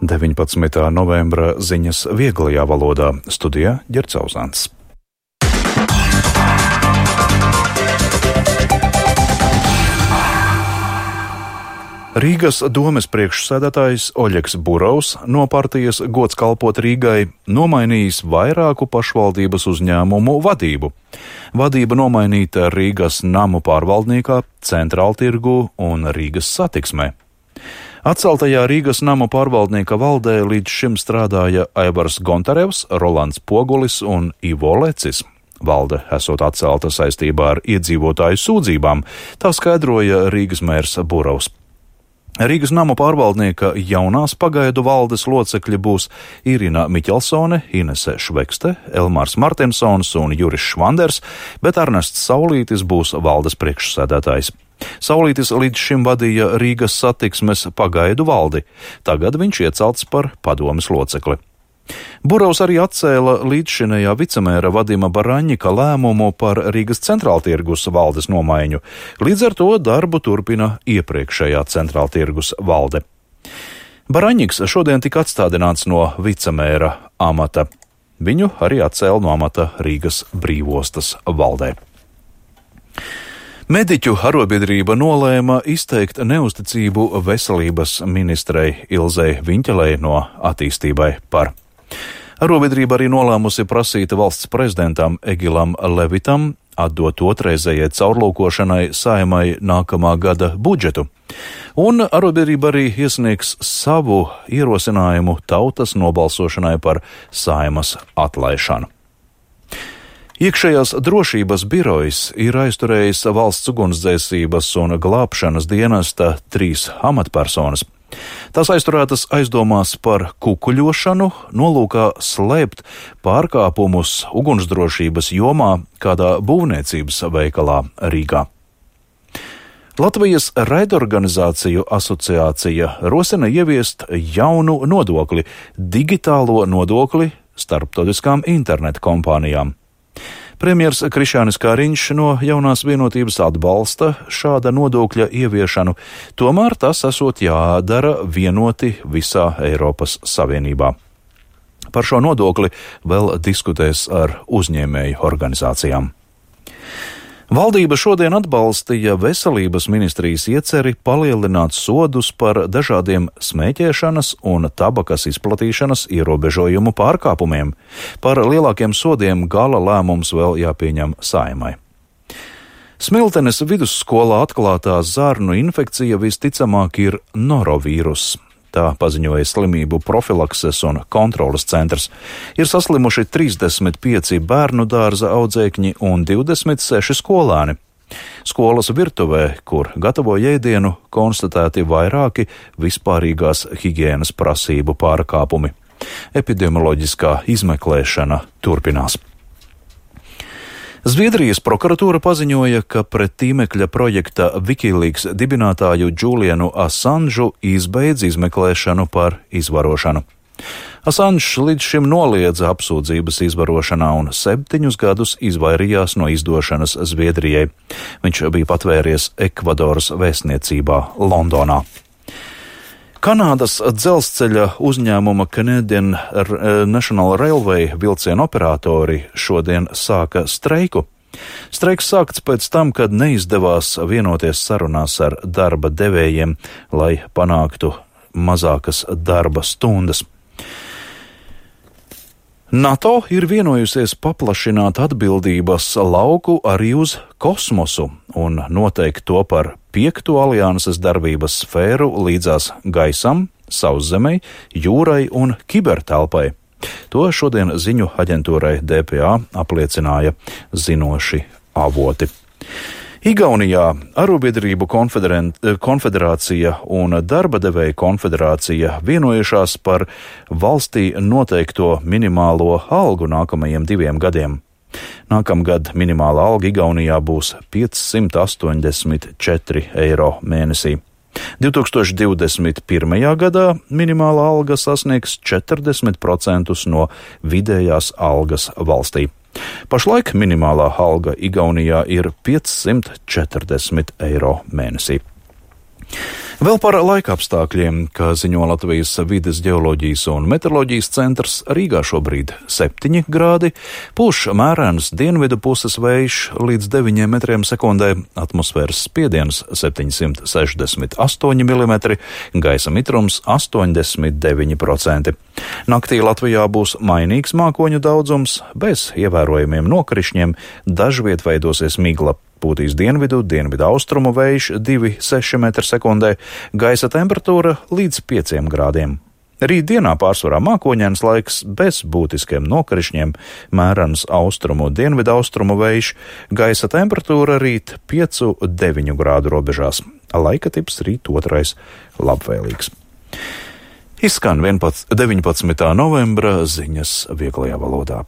19. novembra ziņas vieglajā valodā. Studijā Ģerts Auzāns. Rīgas domes priekšsēdētājs Oļegs Burovs no partijas Gods kalpot Rīgai nomainījis vairāku pašvaldības uzņēmumu vadību. Vadība nomainīta Rīgas namu pārvaldniekā, Centrāltirgū un Rīgas satiksmē. Atceltajā Rīgas namu pārvaldnieka valdē līdz šim strādāja Aivars Gontarevs, Rolands Pogulis un Ivo Lecis. Valde esot atcelta saistībā ar iedzīvotāju sūdzībām, tā skaidroja Rīgas mērs Burovs. Rīgas namu pārvaldnieka jaunās pagaidu valdes locekļi būs Irina Miķelsone, Inese Švekste, Elmārs Martensons un Juris Švanders, bet Ernests Saulītis būs valdes priekšsēdētājs. Saulītis līdz šim vadīja Rīgas satiksmes pagaidu valdi, tagad viņš iecelts par padomes locekli. Burovs arī atcēla līdzšinējā vicemēra Vadima Baraņika lēmumu par Rīgas Centrāltirgus valdes nomaiņu. Līdz ar to darbu turpina iepriekšējā Centrāltirgus valde. Baraņiks šodien tika atstādināts no vicemēra amata. Viņu arī atcēla no amata Rīgas brīvostas valdē. Mediķu arobiedrība nolēma izteikt neusticību veselības ministrei Ilzei Viņķelei no Attīstībai par. Arobiedrība arī nolēmusi prasīt valsts prezidentam Egilam Levitam atdot otrreizējai caurlūkošanai Saeimai nākamā gada budžetu. Un arobiedrība arī iesniegs savu ierosinājumu tautas nobalsošanai par Saeimas atlaišanu. Iekšējās drošības birojs ir aizturējis valsts ugunsdzēsības un glābšanas dienesta 3 amatpersonas. Tās aizturētas aizdomās par kukuļošanu, nolūkā slēpt pārkāpumus ugunsdrošības jomā kādā būvniecības veikalā Rīgā. Latvijas raidorganizāciju asociācija rosina ieviest jaunu nodokli – digitālo nodokli starptautiskām interneta kompānijām. Premjers Krišjānis Kariņš no Jaunās vienotības atbalsta šāda nodokļa ieviešanu, tomēr tas esot jādara vienoti visā Eiropas Savienībā. Par šo nodokli vēl diskutēs ar uzņēmēju organizācijām. Valdība šodien atbalstīja veselības ministrijas ieceri palielināt sodus par dažādiem smēķēšanas un tabakas izplatīšanas ierobežojumu pārkāpumiem. Par lielākiem sodiem gala lēmums vēl jāpieņem Saeimai. Smiltenes vidusskolā atklātā zarnu infekcija visticamāk ir norovīruss. Tā paziņoja slimību profilakses un kontroles centrs. Ir saslimuši 35 bērnu dārza audzēkņi un 26 skolāni. Skolas virtuvē, kur gatavo ēdienu, konstatēti vairāki vispārīgās higienas prasību pārkāpumi. Epidemioloģiskā izmeklēšana turpinās. Zviedrijas prokuratūra paziņoja, ka pret tīmekļa projekta Wikileaks dibinātāju Julianu Assanžu izbeidz izmeklēšanu par izvarošanu. Assanžs līdz šim noliedza apsūdzības izvarošanā un 7 gadus izvairījās no izdošanas Zviedrijai. Viņš bija patvēries Ekvadoras vēstniecībā Londonā. Kanādas dzelzceļa uzņēmuma Canadian National Railway vilcienu operatori šodien sāka streiku. Streiks sākts pēc tam, kad neizdevās vienoties sarunās ar darba devējiem, lai panāktu mazākas darba stundas. NATO ir vienojusies paplašināt atbildības lauku arī uz kosmosu un noteikt to par 5. alianses darbības sfēru līdzās gaisam, sauszemei, jūrai un kibertelpai. To šodien ziņu aģentūrai DPA apliecināja zinoši avoti. Igaunijā Arobiedrību konfederācija un darba devēja konfederācija vienojušās par valstī noteikto minimālo algu nākamajiem 2 gadiem. Nākamgad minimālā alga Igaunijā būs 584 eiro mēnesī. 2021. gadā minimālā alga sasniegs 40% no vidējās algas valstī. Pašlaik minimālā alga Igaunijā ir 540 eiro mēnesī. Vēl par laika apstākļiem, kā ziņo Latvijas vides geoloģijas un meteoroloģijas centrs, Rīgā šobrīd 7 grādi, pūš mērens dienvidu puses vējš līdz 9 metriem sekundē, atmosfēras spiediens 768 mm, gaisa mitrums 89%. Naktī Latvijā būs mainīgs mākoņu daudzums, bez ievērojumiem nokrišņiem, dažviet veidosies migla. Pūtīs dienvidu austrumu vējš 2,6 m/sekundē, gaisa temperatūra līdz 5 grādiem. Rīt dienā pārsvarā mākoņains laiks bez būtiskiem nokrišņiem, mērens austrumu vējš, gaisa temperatūra rīt 5-9 grādu robežās. Laika tips rīt 2. labvēlīgs. Izskan 19. novembra ziņas vieglajā valodā.